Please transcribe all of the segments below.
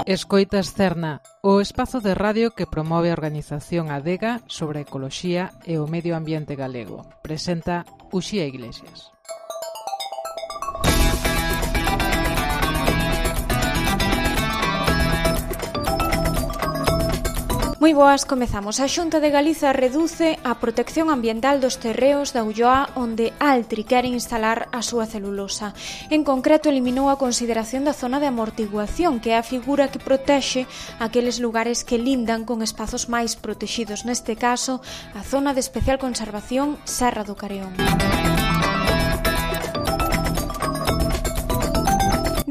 Escoitas Cerna, o espazo de radio que promove a organización Adega sobre a ecoloxía e o medio ambiente galego. Presenta Uxía Iglesias. Moi boas, comezamos. A Xunta de Galiza reduce a protección ambiental dos terreos da Ulloa onde Altri quere instalar a súa celulosa. En concreto, eliminou a consideración da zona de amortiguación, que é a figura que protexe aqueles lugares que lindan con espazos máis protexidos, neste caso, a zona de especial conservación Serra do Careón.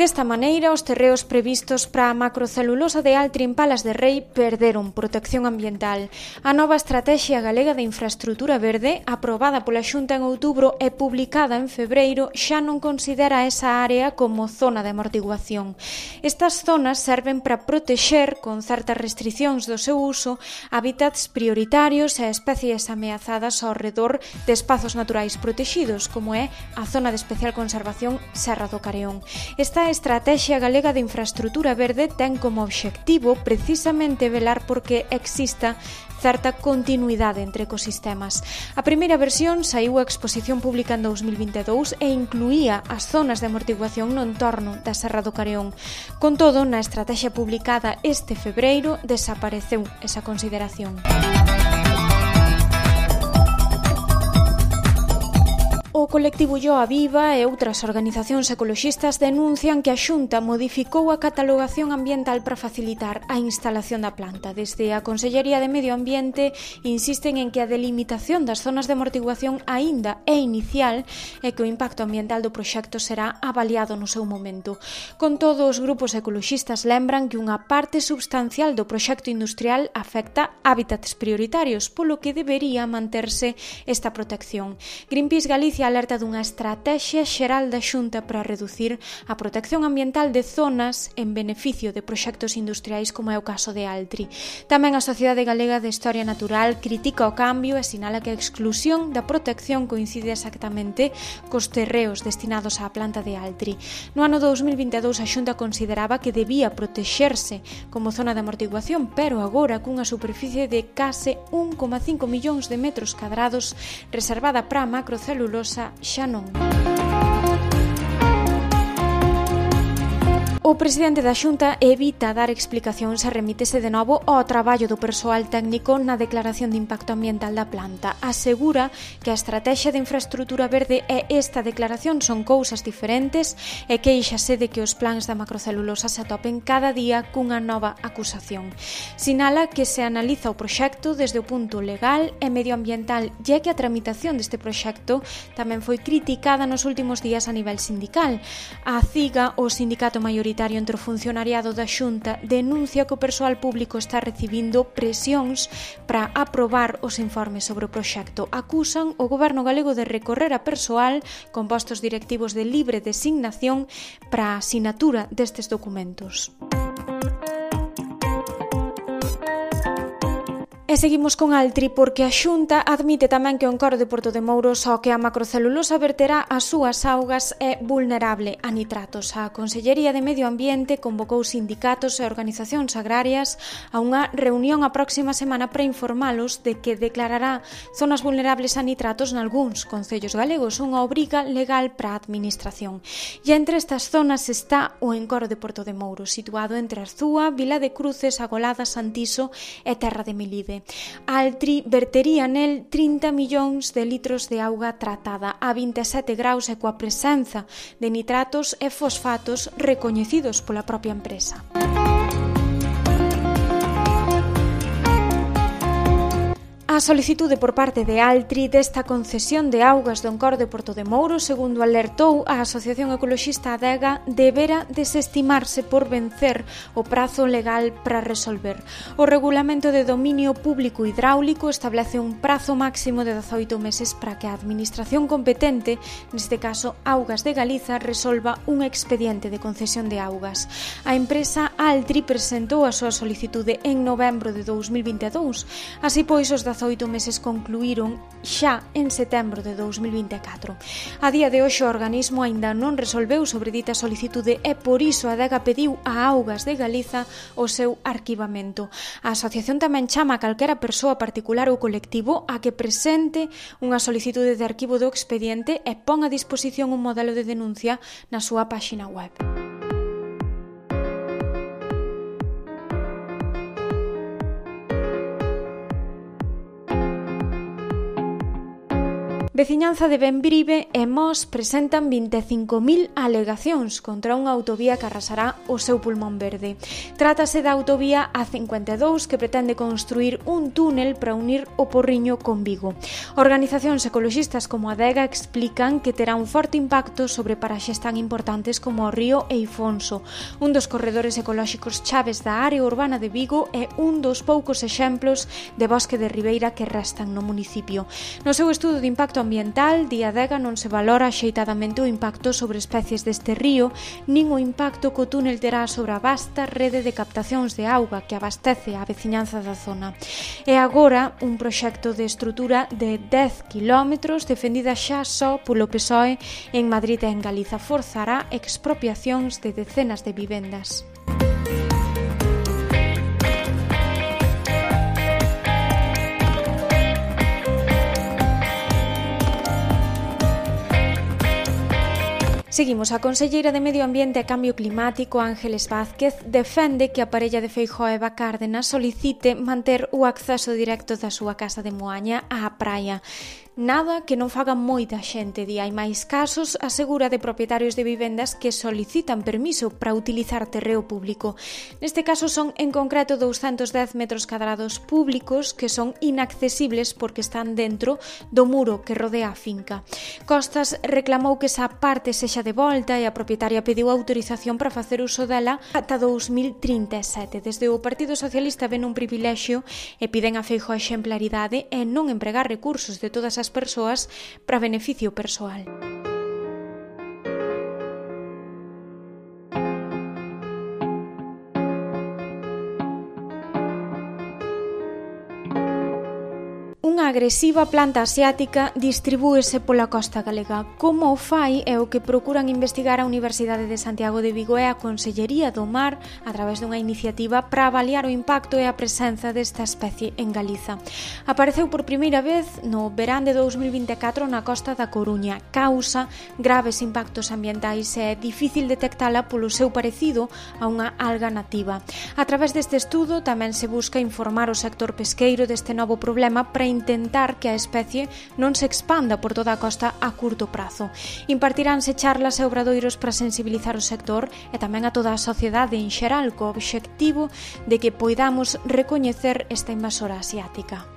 Desta maneira, os terreos previstos para a macrocelulosa de Altri en Palas de Rei perderon protección ambiental. A nova Estratexia Galega de Infraestrutura Verde, aprobada pola Xunta en outubro e publicada en febreiro, xa non considera esa área como zona de amortiguación. Estas zonas serven para protexer, con certas restricións do seu uso, hábitats prioritarios e especies ameazadas ao redor de espazos naturais protexidos, como é a zona de especial conservación Serra do Careón. Esta Estratexia Galega de Infraestrutura Verde ten como obxectivo precisamente velar porque exista certa continuidade entre ecosistemas. A primeira versión saiu a exposición pública en 2022 e incluía as zonas de amortiguación no entorno da Serra do Careón. Con todo, na estrategia publicada este febreiro desapareceu esa consideración. O colectivo Ulloa Viva e outras organizacións ecoloxistas denuncian que a Xunta modificou a catalogación ambiental para facilitar a instalación da planta. Desde a Consellería de Medio Ambiente insisten en que a delimitación das zonas de amortiguación aínda é inicial e que o impacto ambiental do proxecto será avaliado no seu momento. Con todo, os grupos ecoloxistas lembran que unha parte substancial do proxecto industrial afecta hábitats prioritarios, polo que debería manterse esta protección. Greenpeace Galicia alerta dunha estrategia xeral da Xunta para reducir a protección ambiental de zonas en beneficio de proxectos industriais como é o caso de Altri. Tamén a Sociedade Galega de Historia Natural critica o cambio e sinala que a exclusión da protección coincide exactamente cos terreos destinados á planta de Altri. No ano 2022 a Xunta consideraba que debía protexerse como zona de amortiguación, pero agora cunha superficie de case 1,5 millóns de metros cadrados reservada para a macrocelulosa xa non. O presidente da Xunta evita dar explicacións e remítese de novo ao traballo do persoal técnico na declaración de impacto ambiental da planta. Asegura que a Estratexia de Infraestrutura Verde e esta declaración son cousas diferentes e quéixase de que os plans da macrocelulosa se atopen cada día cunha nova acusación. Sinala que se analiza o proxecto desde o punto legal e medioambiental e que a tramitación deste proxecto tamén foi criticada nos últimos días a nivel sindical. A CIGA, o sindicato maioritario entre o funcionariado da Xunta, denuncia que o persoal público está recibindo presións para aprobar os informes sobre o proxecto. Acusan o goberno galego de recorrer a persoal con postos directivos de libre designación para a asinatura destes documentos. E seguimos con Altri porque a Xunta admite tamén que o encoro de Porto de Mouros ao que a macrocelulosa verterá as súas augas é vulnerable a nitratos. A Consellería de Medio Ambiente convocou sindicatos e organizacións agrarias a unha reunión a próxima semana para informalos de que declarará zonas vulnerables a nitratos nalgúns concellos galegos, unha obriga legal para a administración. E entre estas zonas está o encoro de Porto de Mouros, situado entre Arzúa, Vila de Cruces, Agolada, Santiso e Terra de Melide. Altri vertería nel 30 millóns de litros de auga tratada a 27 graus e coa presenza de nitratos e fosfatos recoñecidos pola propia empresa. A solicitude por parte de Altri desta concesión de augas do encoro de Porto de Mouros, segundo alertou a Asociación Ecoloxista Adega, debera desestimarse por vencer o prazo legal para resolver. O Regulamento de Dominio Público Hidráulico establece un prazo máximo de 18 meses para que a Administración competente, neste caso Augas de Galiza, resolva un expediente de concesión de augas. A empresa Altri presentou a súa solicitude en novembro de 2022, así pois os 18 meses concluíron xa en setembro de 2024. A día de hoxe o organismo aínda non resolveu sobre dita solicitude e por iso a Adega pediu a Augas de Galiza o seu arquivamento. A asociación tamén chama a calquera persoa particular ou colectivo a que presente unha solicitude de arquivo do expediente e pon a disposición un modelo de denuncia na súa páxina web. Veciñanza de Bembrive e Mos presentan 25.000 alegacións contra unha autovía que arrasará o seu pulmón verde. Trátase da autovía A52 que pretende construir un túnel para unir o Porriño con Vigo. Organizacións ecoloxistas como a Adega explican que terá un forte impacto sobre paraxes tan importantes como o río Eifonso, un dos corredores ecolóxicos chaves da área urbana de Vigo e un dos poucos exemplos de bosque de ribeira que restan no municipio. No seu estudo de impacto ambiental, di Adega, non se valora axeitadamente o impacto sobre especies deste río, nin o impacto que o túnel terá sobre a vasta rede de captacións de auga que abastece a veciñanza da zona. E agora, un proxecto de estrutura de 10 km defendida xa só polo PSOE en Madrid e en Galiza forzará expropiacións de decenas de vivendas. Seguimos. A conselleira de Medio Ambiente e Cambio Climático, Ángeles Vázquez, defende que a parella de Feijóo e Eva Cárdenas solicite manter o acceso directo da súa casa de Moaña á praia. Nada que non faga moita xente, di. Hai máis casos, asegura, de propietarios de vivendas que solicitan permiso para utilizar terreo público. Neste caso son, en concreto, 210 metros cadrados públicos que son inaccesibles porque están dentro do muro que rodea a finca. Costas reclamou que esa parte sexa de volta e a propietaria pediu autorización para facer uso dela ata 2037. Desde o Partido Socialista ven un privilexio e piden a Feijóo exemplaridade e non empregar recursos de todas as persoas para beneficio persoal. Unha agresiva planta asiática distribúese pola costa galega. Como o fai é o que procuran investigar a Universidade de Santiago de Vigo e a Consellería do Mar a través dunha iniciativa para avaliar o impacto e a presenza desta especie en Galiza. Apareceu por primeira vez no verán de 2024 na costa da Coruña. Causa graves impactos ambientais e é difícil detectala polo seu parecido a unha alga nativa. A través deste estudo tamén se busca informar o sector pesqueiro deste novo problema para intentar que a especie non se expanda por toda a costa a curto prazo. Impartiránse charlas e obradoiros para sensibilizar o sector e tamén a toda a sociedade en xeral co obxectivo de que poidamos recoñecer esta invasora asiática.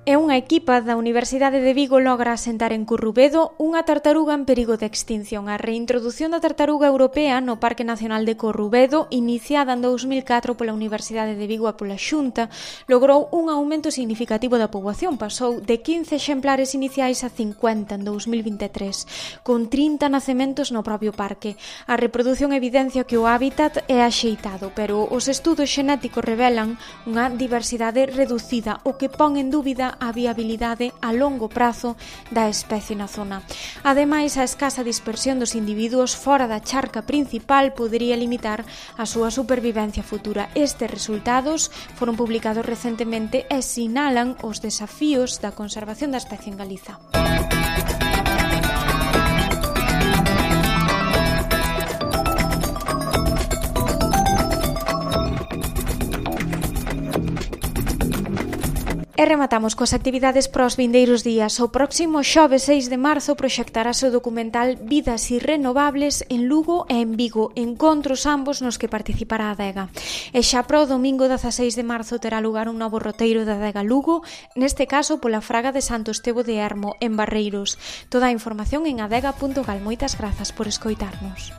E unha equipa da Universidade de Vigo logra asentar en Corrubedo unha tartaruga en perigo de extinción. A reintrodución da tartaruga europea no Parque Nacional de Corrubedo, iniciada en 2004 pola Universidade de Vigo e pola Xunta, logrou un aumento significativo da poboación. Pasou de 15 exemplares iniciais a 50 en 2023, con 30 nacementos no propio parque. A reproducción evidencia que o hábitat é axeitado, pero os estudos xenéticos revelan unha diversidade reducida, o que pon en dúbida a viabilidade a longo prazo da especie na zona. Ademais, a escasa dispersión dos individuos fora da charca principal podería limitar a súa supervivencia futura. Estes resultados foron publicados recentemente e sinalan os desafíos da conservación da especie en Galiza. E rematamos coas actividades para os vindeiros días. O próximo xoves 6 de marzo proxectarase o documental Vidas Irrenovables en Lugo e en Vigo, encontros ambos nos que participará a Adega. E xa para o domingo 16 de marzo terá lugar un novo roteiro da Adega Lugo, neste caso pola Fraga de Santo Estevo de Ermo, en Barreiros. Toda a información en adega.gal. Moitas grazas por escoitarnos.